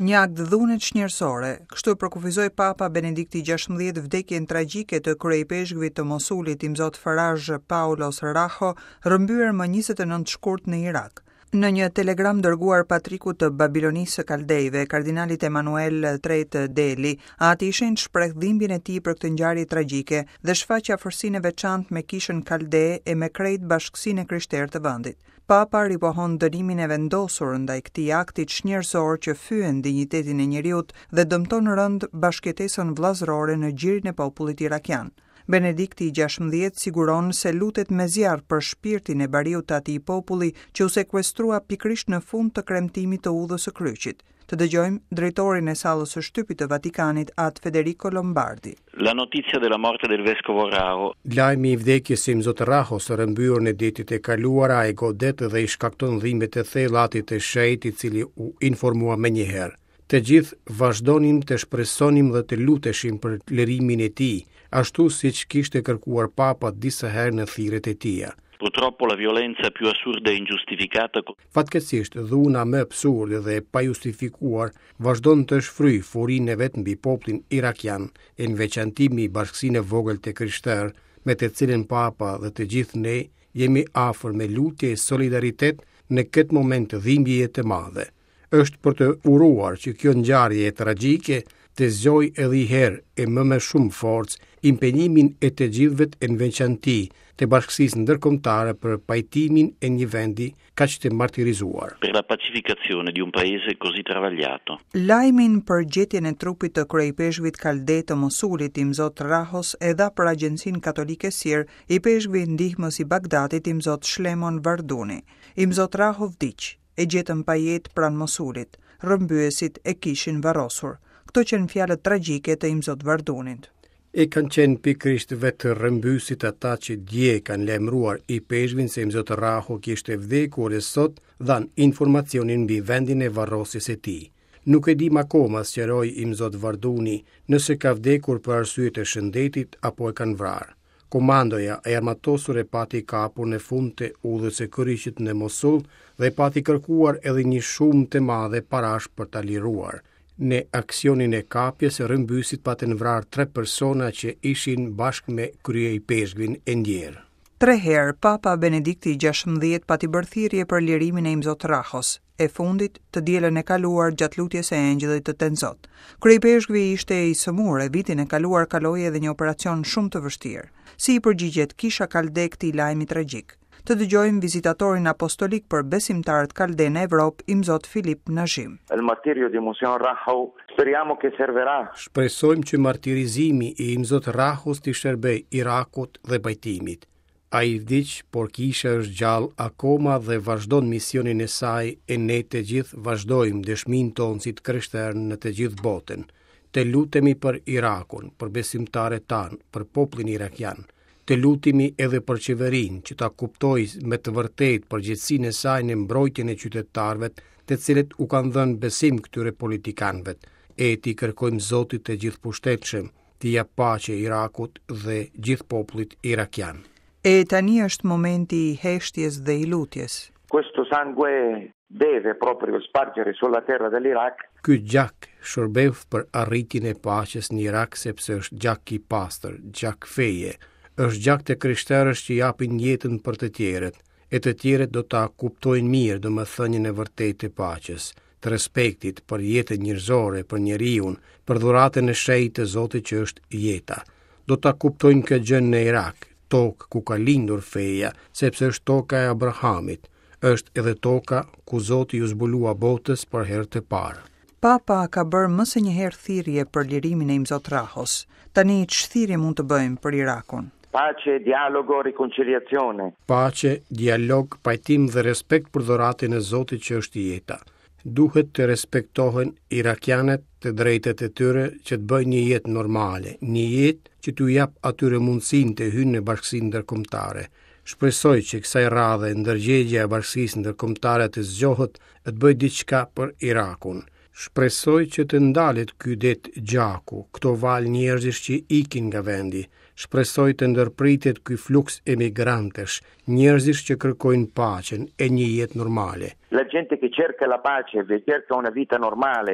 Një akt dhune çnjerëzore, kështu e përkufizoi Papa Benedikti XVI vdekjen tragjike të kryeipeshkvit të Mosulit, Imzot Faraj Paulos Raho, rrëmbyer më 29 shkurt në Irak. Në një telegram dërguar patrikut të Babilonisë së Kaldejve, kardinalit Emanuel III Deli, Ati i Shenjtë shpreh dhimbjen e tij për këtë ngjarje tragjike dhe shfaq afërsinë e veçantë me kishën kalde e me krejt bashkësinë e krishterë të vendit. Papa ripohon dënimin e vendosur ndaj këtij akti çnjerëzor që fyen dinjitetin e njeriut dhe dëmton rëndë bashkëjetesën vëllazërore në gjirin e popullit irakian. Benedikti i XVI siguron se lutet me zjarr për shpirtin e bariut të atij populli që u sekuestrua pikërisht në fund të kremtimit të Udhës së Kryqit. Të dëgjojmë drejtorin e sallës së shtypit të Vatikanit, At Federico Lombardi. La notizia della morte del vescovo Raho. Lajmi i vdekjes së Imzot Rahos, rrëmbyer në ditët e kaluara, e godet dhe i shkakton dhimbje të thella Atit të Shenjtë, i cili u informua menjëherë. Të gjithë vazhdonim të shpresonim dhe të luteshim për lirimin e tij, ashtu siç kishte kërkuar Papa disa herë në thirrjet e tija. Purtroppo la violenza più assurda e ingiustificata Fatkeqësisht, dhuna më absurde dhe e pajustifikuar vazhdon të shfryjë furinë e vet mbi popullin irakian, e në veçanti mbi bashkësinë e vogël të krishterë, me të cilën Papa dhe të gjithë ne jemi afër me lutje e solidaritet në këtë moment dhimbjeje të madhe. Është për të uruar që kjo ngjarje tragjike të zgjojë edhe një herë e më me shumë forcë impenjimin e të gjithëve e në veçanti të bashkësisë ndërkombëtare për pajtimin e një vendi kaq të martirizuar. Per la pacificazione di un paese così travagliato. Lajmin për gjetjen e trupit të kryeipeshkvit kalde të Mosulit, Imzot Rahos, e dha për agjencinë katolike SIR, ipeshkvi ndihmës i Bagdadit, Imzot Shlemon Varduni. Imzot Raho vdiq. E gjetëm pa jetë pranë Mosulit. Rrëmbyesit e kishin varrosur. Këto qenë fjalët tragjike të Imzot Vardunit. E kanë qenë pikërisht vetë rrëmbyesit ata që dje kanë lajmëruar ipeshkvin se Imzot Raho kishte vdekur e sot dhanë informacionin mbi vendin e varrosjes së tij. Nuk e dimë akoma, sqaroi Imzot Varduni, nëse ka vdekur për arsye të shëndetit apo e kanë vrarë. Komandoja e armatosur e pati kapur në fund të Udhës së Kryqit në Mosul dhe pati kërkuar edhe një shumë të madhe parash për ta liruar. Në aksionin e kapjes, rrëmbyesit patën vrarë tre persona që ishin bashkë me kryeipeshkvin e ndjerë. Tre herë, Papa Benedikti i XVI pati bërë thirrje për lirimin e Imzot Rahos. e fundit të dielën e kaluar gjatë lutjes së Engjëllit të Tenzot. Kryeipeshkvi ishte i sëmurë e vitin e kaluar kaloi edhe një operacion shumë të vështirë. Si i përgjigjet Kisha Kalde këtij lajmi tragjik? Të dëgjojmë vizitatorin apostolik për besimtarët kalde në Evropë, Imzot Filip Nazhim. Il martirio di Monsignor Raho speriamo che servirà. Shpresojmë që martirizimi i Imzot Rahos t'i shërbejë Irakut dhe pajtimit. Ai vdiq, por Kisha është gjallë akoma dhe vazhdon misionin e saj e ne të gjithë vazhdojmë dëshminë tonë si të krishterë në të gjithë botën. Të lutemi për Irakun, për besimtarët tanë, për popullin irakian. Të lutemi edhe për qeverinë që ta kuptojë me të vërtetë përgjegjësinë e saj në mbrojtjen e qytetarëve, të cilët u kanë dhënë besim këtyre politikanëve. E t'i kërkojmë Zotit të Gjithëpushtetshëm, t'i japë paqe Irakut dhe gjithë popullit irakian. E tani është momenti i heshtjes dhe i lutjes. Questo sangue deve proprio spargere sulla terra dell'Iraq. Ky gjak shërbeftë për arritjen e paqes në Irak sepse është gjak i pastër, gjak feje, është gjak të krishterësh që japin jetën për të tjerët, e të tjerët do ta kuptojnë mirë domethënien e vërtetë të paqes, të respektit për jetën njerëzore, për njeriun, për dhuratën e shenjtë të Zotit që është jeta. Do ta kuptojnë këtë gjë në Irak, tokë ku ka lindur feja, sepse është toka e Abrahamit, është edhe toka ku Zoti iu zbulua botës për herë të parë. Papa ka bërë më se një herë thirrje për lirimin e Imzot Rahos. Tani ç'thirrje mund të bëjmë për Irakun? Pace, dialogo, riconciliazione. Pace, dialog, pajtim dhe respekt për dhuratën e Zotit që është jeta. Duhet të respektohen irakianët të drejtat e tyre që të bëjnë një jetë normale, një jetë që t'u japë atyre mundësinë të hyjnë në bashkësinë ndërkombëtare. Shpresoj që kësaj radhe ndërgjegjja e bashkësisë ndërkombëtare të zgjohet e të bëjë diçka për Irakun. Shpresoj që të ndalet ky det gjaku, këto valë njerëzish që ikin nga vendi. Shpresoj të ndërpritet ky fluks emigrantësh, njerëzish që kërkojnë paqen e një jetë normale. La gente che cerca la pace, che cerca una vita normale.